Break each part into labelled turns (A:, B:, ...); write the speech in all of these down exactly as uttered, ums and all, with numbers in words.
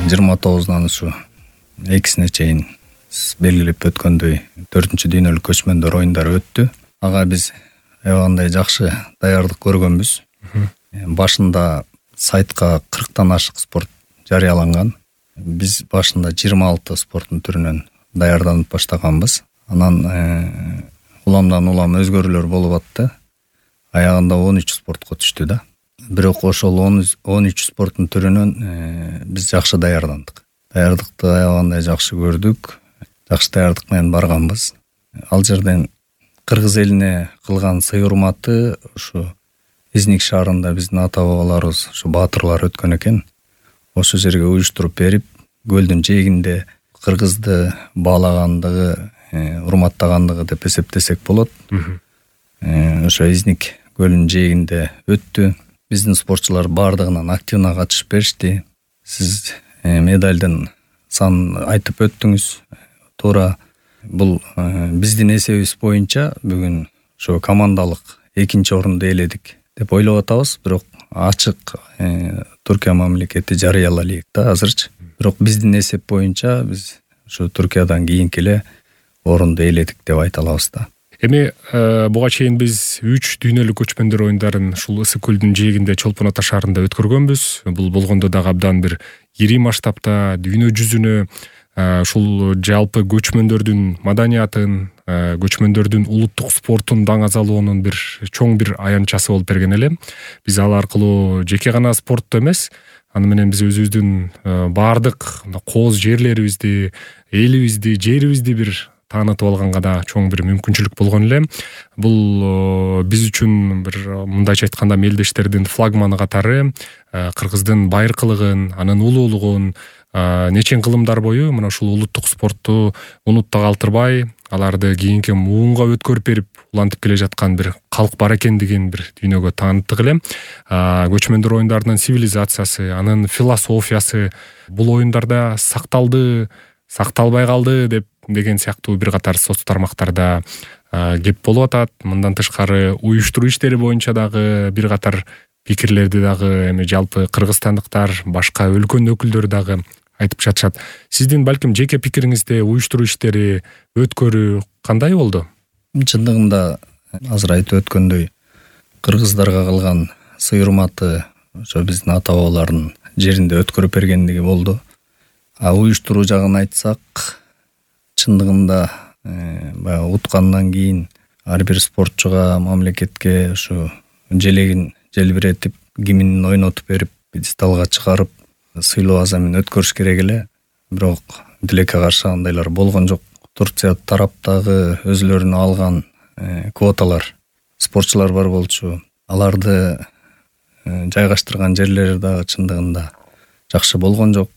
A: жыйырма тогузунан ушу экисине чейин белгилеп өткөндөй төртүнчү дүйнөлүк көчмөндөр оюндары өттү. Ага биз аябагандай жакшы даярдык көргөнбүз. Башында сайтка кырктан ашык спорт жарыяланган. Биз башында жыйырма алты спорттун түрүнөн даярданып баштаганбыз. Анан уламдан улам өзгөрүүлөр болуп атты. Аягында он үч спортко түштү да. Бирок ошол он үч спорттун түрүнөн биз жакшы даярдандык. Даярдыкты аябагандай жакшы көрдүк. Жакшы даярдык менен барганбыз. Ал жерден кыргыз элине кылган сый урматы ушу Изник шаарында биздин ата бабаларыбыз, ушу баатырлар өткөн экен. Ошо жерге уюштуруп берип, көлдүн жээгинде кыргызды баалагандыгы, урматтагандыгы деп эсептесек болот. Ошо Изник көлүнүн жээгинде өттү. Биздин спортчулар бардыгынан активна катышып беришти. Сиз медалдын санын айтып өттүңүз. Туура бул биздин эсебибиз боюнча бүгүн ошо командалык экинчи орунду ээледик деп ойлоп атабыз. Бирок ачык Түркия мамлекети жарыялалык да азырчы. Бирок биздин эсеп боюнча биз ошо Түркиядан кийинки эле орунду ээледик деп айта алабыз да.
B: Эми буга чейин биз үч дүйнөлүк көчмөндөр оюндарын ушул ысык көлдүн жээгинде Чолпон Ата шаарында өткөргөнбүз. Бул болгондо дагы абдан бир ири масштабта дүйнө жүзүнө ушул жалпы көчмөндөрдүн маданиятын, көчмөндөрдүн улуттук спортун даңазалоонун бир чоң бир аянтчасы болуп берген эле. Биз ал аркылуу жеке гана спортту эмес, аны менен биз өзүбүздүн баардык кооз жерлерибизди, элибизди, жерибизди бир таанытып алганга да чоң бир мүмкүнчүлүк болгон эле. Бул биз үчүн бир мындайча айтканда мелдештердин флагманы катары кыргыздын байыркылыгын, анын улуулугун нечен кылымдар бою мына ушул улуттук спортту унутта калтырбай, аларды кийинки муунга өткөрүп берип улантып келе жаткан бир калк бар экендигин бир дүйнөгө тааныттык эле. Көчмөндөр оюндарынын цивилизациясы, анын философиясы бул оюндарда сакталды, сакталбай калды деп деген сыяктуу бир катар соц тармактарда кеп болуп атат. Мындан тышкары уюштуруу иштери боюнча дагы бир катар пикирлерди дагы эми жалпы кыргызстандыктар, башка өлкөнүн өкүлдөрү дагы айтып жатышат. Сиздин балким жеке пикириңизде уюштуруу иштери, өткөрүү кандай болду?
A: Чындыгында азыр айтып өткөндөй кыргыздарга кылган сый урматы ошо биздин ата бабалардын жеринде өткөрүп бергендиги болду. А уюштуруу жагын айтсак, чындыгында баягы уткандан кийин ар бир спортчуга, мамлекетке ушу желегин желбиретип, гимнин ойнотуп берип, пьедесталга чыгарып, сыйлоо азамын өткөрүш керек эле. Бирок тилекке каршы андайлар болгон жок. Турция тараптагы өзлөрүнө алган квоталар, спортчулар бар болчу. Аларды жайгаштырган жерлери дагы чындыгында жакшы болгон жок.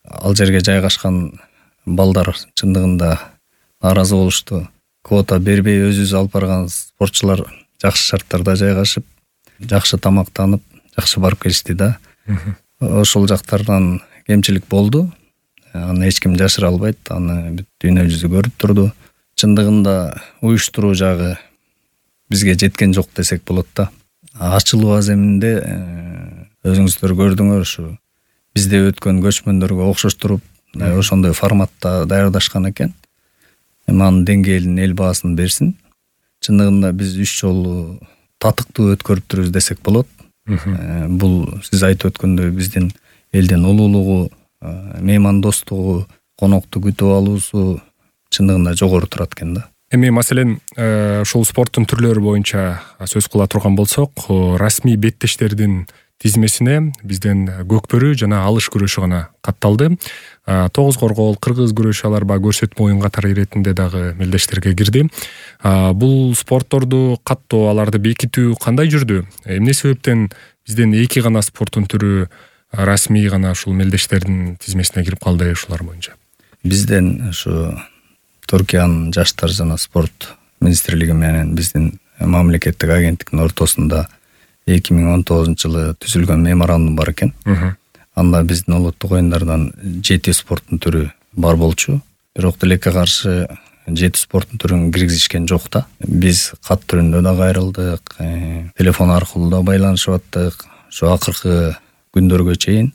A: Ал жерге жайгашкан балдар чындыгында нааразы болушту. Квота бербей өзүбүз алып барган спортчулар жакшы шарттарда жайгашып, жакшы тамактанып, жакшы барып келишти да. Ошол жактардан кемчилик болду. Аны эч ким жашыра албайт. Аны бүт дүйнө жүзү көрүп турду. Чындыгында уюштуруу жагы бизге жеткен жок десек болот да. Ачылуу аземинде өзүңүздөр көрдүңөр, ушу бизде өткөн көчмөндөргө окшоштуруп, ошондой форматта даярдашкан экен. Эми анын деңгээлин эл баасын берсин. Чындыгында биз үч жолу татыктуу өткөрүптүрбүз десек болот. Бул сиз айтып өткөндөй биздин элдин улуулугу, меймандостугу, конокту күтүп алуусу чындыгында жогору турат экен да.
B: Эми маселен ушул спорттун түрлөрү боюнча сөз кыла турган болсок, расмий беттештердин тизмесине бизден көкбөрү жана алыш күрөшү гана катталды. Тогуз коргоол, кыргыз күрөшү алар баягы көрсөтмө оюн катары иретинде дагы мелдештерге кирди. Бул спортторду каттоо, аларды бекитүү кандай жүрдү? Эмне себептен бизден эки гана спорттун түрү расмий гана ушул мелдештердин тизмесине кирип калды ушулар боюнча?
A: Бизден ушу Түркиянын жаштар жана спорт министрлиги менен биздин мамлекеттик агенттиктин ортосунда эки миң он тогузунчу жылы түзүлгөн меморандум бар экен. Анда биздин улуттук оюндардан жети спорттун түрү бар болчу. Бирок тилекке каршы жети спорттун түрүн киргизишкен жок да. Биз кат түрүндө да кайрылдык, телефон аркылуу да байланышып аттык. Ошо акыркы күндөргө чейин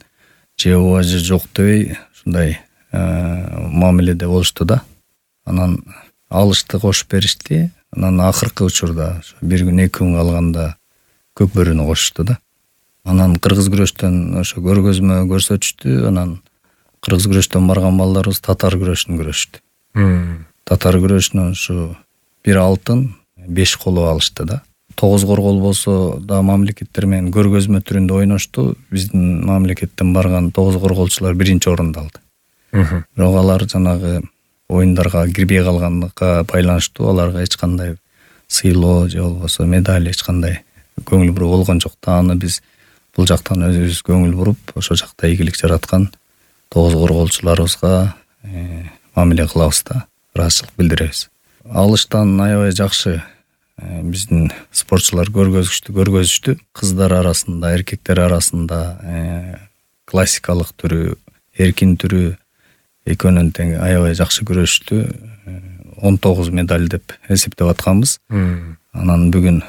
A: же ооба же жок дебей ушундай мамиледе болушту да. Анан алышты кошуп беришти. Анан акыркы учурда бир күн эки күн калганда Көкбөрүнү кошушту да. Анан кыргыз күрөштөн ошо көргөзмө көрсөтүштү. Анан кыргыз күрөштөн барган балдарыбыз татар күрөшүн көрүштү. Татар күрөшүнөн ушу бир алтын, беш коло алышты да. Тогуз коргол болсо да мамлекеттер менен көргөзмө түрүндө ойношту. Биздин мамлекеттен барган тогуз корголчулар биринчи орунду алды. Бирок алар жанагы оюндарга кирбей калгандыкка байланыштуу аларга эч кандай сыйлоо же болбосо медаль эч кандай көңүл буруу болгон жок. Аны биз бул жактан өзүбүз көңүл буруп, ошол жакта ийгилик жараткан тогуз корголчуларыбызга мамиле кылабыз да, ыраазычылык билдиребиз. Алыштан аябай жакшы биздин спортчулар көргөзүштү, көргөзүштү. Кыздар арасында, эркектер арасында классикалык түрү, эркин түрү экөөнүн тең аябай жакшы күрөштү. он тогуз медаль деп эсептеп атканбыз. Анан бүгүн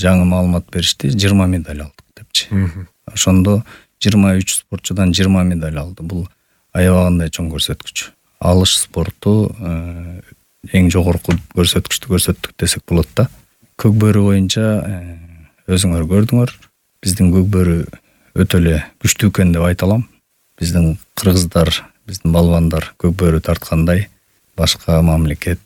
A: жаңы маалымат беришти, жыйырма медаль алдык депчи. Ошондо жыйырма үч спортчудан жыйырма медаль алды. Бул аябагандай чоң көрсөткүч. Алыш спорту эң жогорку көрсөткүчтү көрсөттүк десек болот да. Көкбөрү боюнча өзүңөр көрдүңөр. Биздин Көкбөрү өтө эле күчтүү экен деп айта алам. Биздин кыргыздар, биздин балбандар Көкбөрү тарткандай башка мамлекет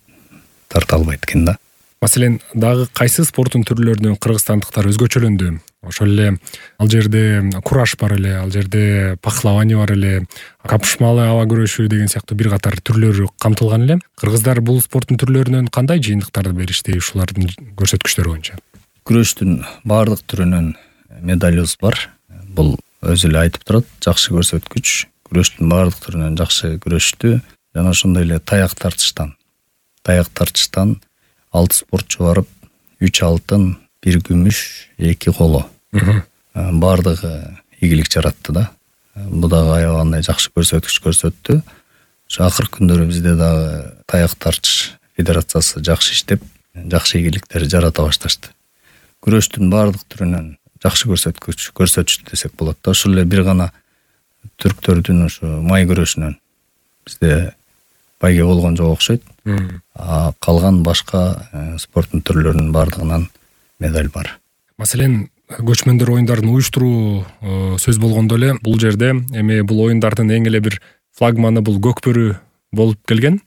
A: тарта албайт экен да.
B: Маселен, дагы кайсы спорттун түрлөрүнөн кыргызстандыктар өзгөчөлөндү? Ошол эле ал жерде кураш бар эле, ал жерде пахлавание бар эле, капышмалы аба күрөшү деген сыяктуу бир катар түрлөрү камтылган эле. Кыргыздар бул спорттун түрлөрүнөн кандай жыйынтыктарды беришти ушулардын көрсөткүчтөрү боюнча?
A: Күрөштүн баардык түрүнөн медалыбыз бар. Бул өзү эле айтып турат, жакшы көрсөткүч. Күрөштүн баардык түрүнөн жакшы күрөштү. Жана ошондой эле таяк тартыштан. Таяк тартыштан алты спортчу барып, үч алтын, бир күмүш, эки коло. Баардыгы ийгилик жаратты да. Бул дагы аябагандай жакшы көрсөткүч көрсөттү. Ошо акыркы күндөрү бизде дагы таяк тартыш федерациясы жакшы иштеп, жакшы ийгиликтер жарата башташты. Күрөштүн баардык түрүнөн жакшы көрсөткүч көрсөтүштү десек болот да. Ошол эле бир гана түрктөрдүн ошо май күрөшүнөн бизде байге болгон жок окшойт. А калган башка спорттун түрлөрүнүн баардыгынан медаль бар.
B: Маселен, көчмөндөр оюндарын уюштуруу сөз болгондо эле бул жерде эми бул оюндардын эң эле бир флагманы бул Көкбөрү болуп келген.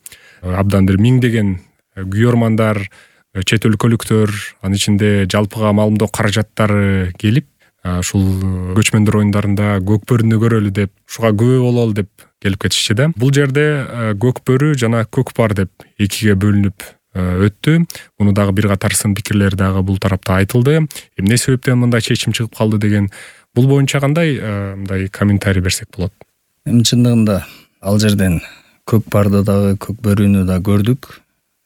B: Абдан бир миңдеген күйөрмандар, чет өлкөлүктөр, анын ичинде жалпыга маалымдоо каражаттары келип, ушул көчмөндөр оюндарында Көкбөрүнү көрөлү деп, ушуга күбө бололу деп келип кетишчи да. Бул жерде Көкбөрү жана Көкпар деп экиге бөлүнүп өттү. Муну дагы бир катар сын пикирлер дагы бул тарапта айтылды. Эмне себептен мындай чечим чыгып калды деген бул боюнча кандай мындай комментарий берсек болот?
A: Эми чындыгында ал жерден Көкпарды дагы Көкбөрүнү да көрдүк.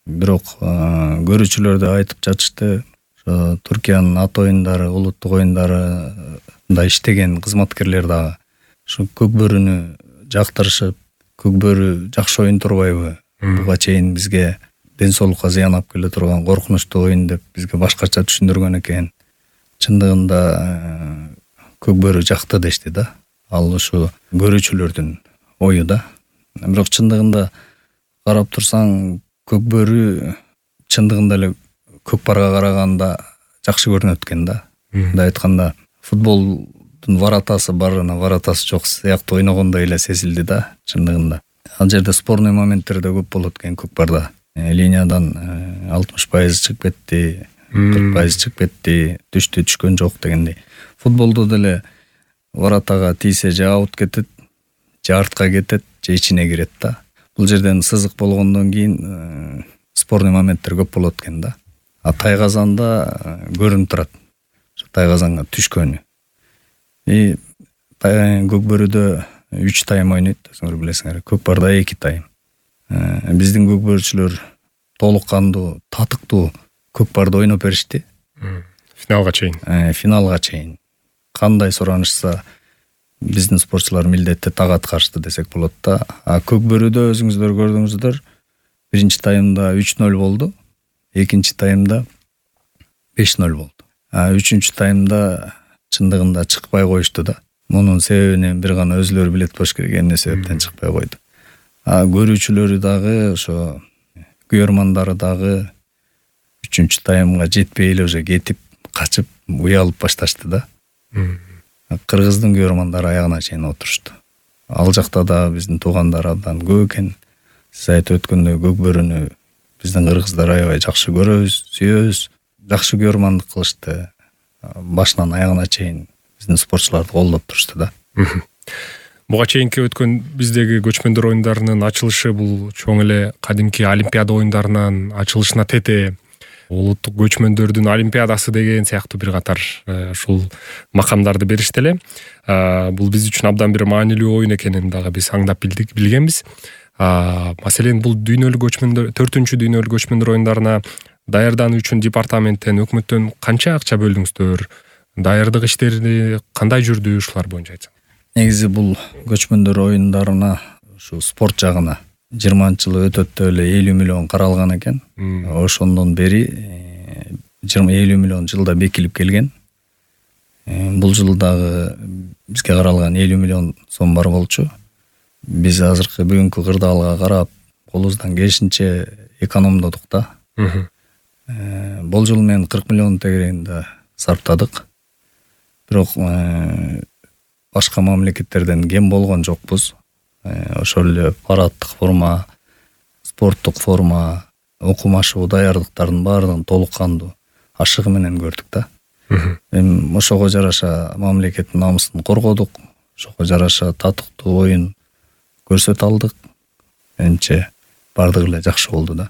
A: Бирок көрүүчүлөр да айтып жатышты, ошо Туркиянын ат оюндары, улуттук оюндарында иштеген кызматкерлер дагы ошо Көкбөрүнү жактырышып, Көкбөрү жакшы оюн турбайбы? Буга чейин бизге ден соолукка зыян алып келе турган коркунучтуу оюн деп бизге башкача түшүндүргөн экен. Чындыгында Көкбөрү жакты дешти да. Ал ушу көрүүчүлөрдүн ою да. Бирок чындыгында карап турсаң, Көкбөрү чындыгында эле Көкпарга караганда жакшы көрүнөт экен да. Мындай айтканда, футболдун варатасы бар, варатасы жок сыяктуу ойногондой эле сезилди да, чындыгында. Ал жерде спорный моменттер да көп болот экен Көкпарда. Линиядан алтымыш пайыз чыгып кетти, кырк пайыз чыгып кетти, түштү, түшкөн жок дегендей. Футболдо деле варатага тийсе же аут кетет, же артка кетет, же ичине кирет да. Бул жерден сызык болгондон кийин спорный моменттер көп болот экен да. А тайгазанда көрүнүп турат. Тайгазанга түшкөнү. И Көкбөрүдө үч тайм ойнойт, өзүңөр билесиңер. Көкпарда эки тайм. Биздин көкбөрүчүлөр толук кандуу, татыктуу Көкпарды ойноп беришти.
B: Финалга чейин.
A: Финалга чейин. Кандай суранышса биздин спортчулар милдетти так аткарышты десек болот да. А Көкбөрүдө өзүңүздөр көрдүңүздөр, биринчи таймда үч ноль болду, экинчи таймда беш ноль болду. А үчүнчү таймда чындыгында чыкпай коюшту да. Мунун себебин бир гана өзүлөрү билет болуш керек, эмне себептен чыкпай койду. А көрүүчүлөрү дагы, ошо күйөрмандары дагы үчүнчү таймга жетпей эле уже кетип, качып, уялып башташты да. Кыргыздын күйөрмандары аягына чейин отурушту. Ал жакта да биздин туугандар абдан көп экен. Сиз айтып өткөндөй Көкбөрүнү биздин кыргыздар аябай жакшы көрөбүз, сүйөбүз. Жакшы күйөрмандык кылышты. Башынан аягына чейин биздин спортчуларды колдоп турушту да.
B: Буга чейинки өткөн биздеги көчмөндөр оюндарынын ачылышы бул чоң эле кадимки Олимпиада оюндарынын ачылышына тете. Улуттук көчмөндөрдүн олимпиадасы деген сыяктуу бир катар ушул макамдарды беришти эле. Бул биз үчүн абдан бир маанилүү оюн экенин дагы биз аңдап билдик, билгенбиз. Маселен, бул дүйнөлүк көчмөндөр, төртүнчү дүйнөлүк көчмөндөр оюндарына даярдануу үчүн департаменттен, өкмөттөн канча акча бөлдүңүздөр? Даярдык иштери кандай жүрдү, ушулар боюнча айтсаңыз?
A: Негизи бул көчмөндөр оюндарына, ушу спорт жагына жыйырманчы жылы өтөт деп эле элүү миллион каралган экен. Ошондон бери жыйырма элүү миллион жылда бекилип келген. Бул жылдагы бизге каралган элүү миллион сом бар болчу. Биз азыркы бүгүнкү кырдаалга карап, колубуздан келишинче экономдодук да. Бул жыл мен кырк миллион тегерегинде сарптадык. Бирок башка мамлекеттерден кем болгон жокпуз. Ошол эле парадтык форма, спорттук форма, окумашуу даярдыктардын баардыгын толук кандуу ашыгы менен көрдүк да. Эми ошого жараша мамлекеттин намысын коргодук, ошого жараша татыктуу оюн көрсөтө алдык. Менимче баардыгы эле жакшы болду да.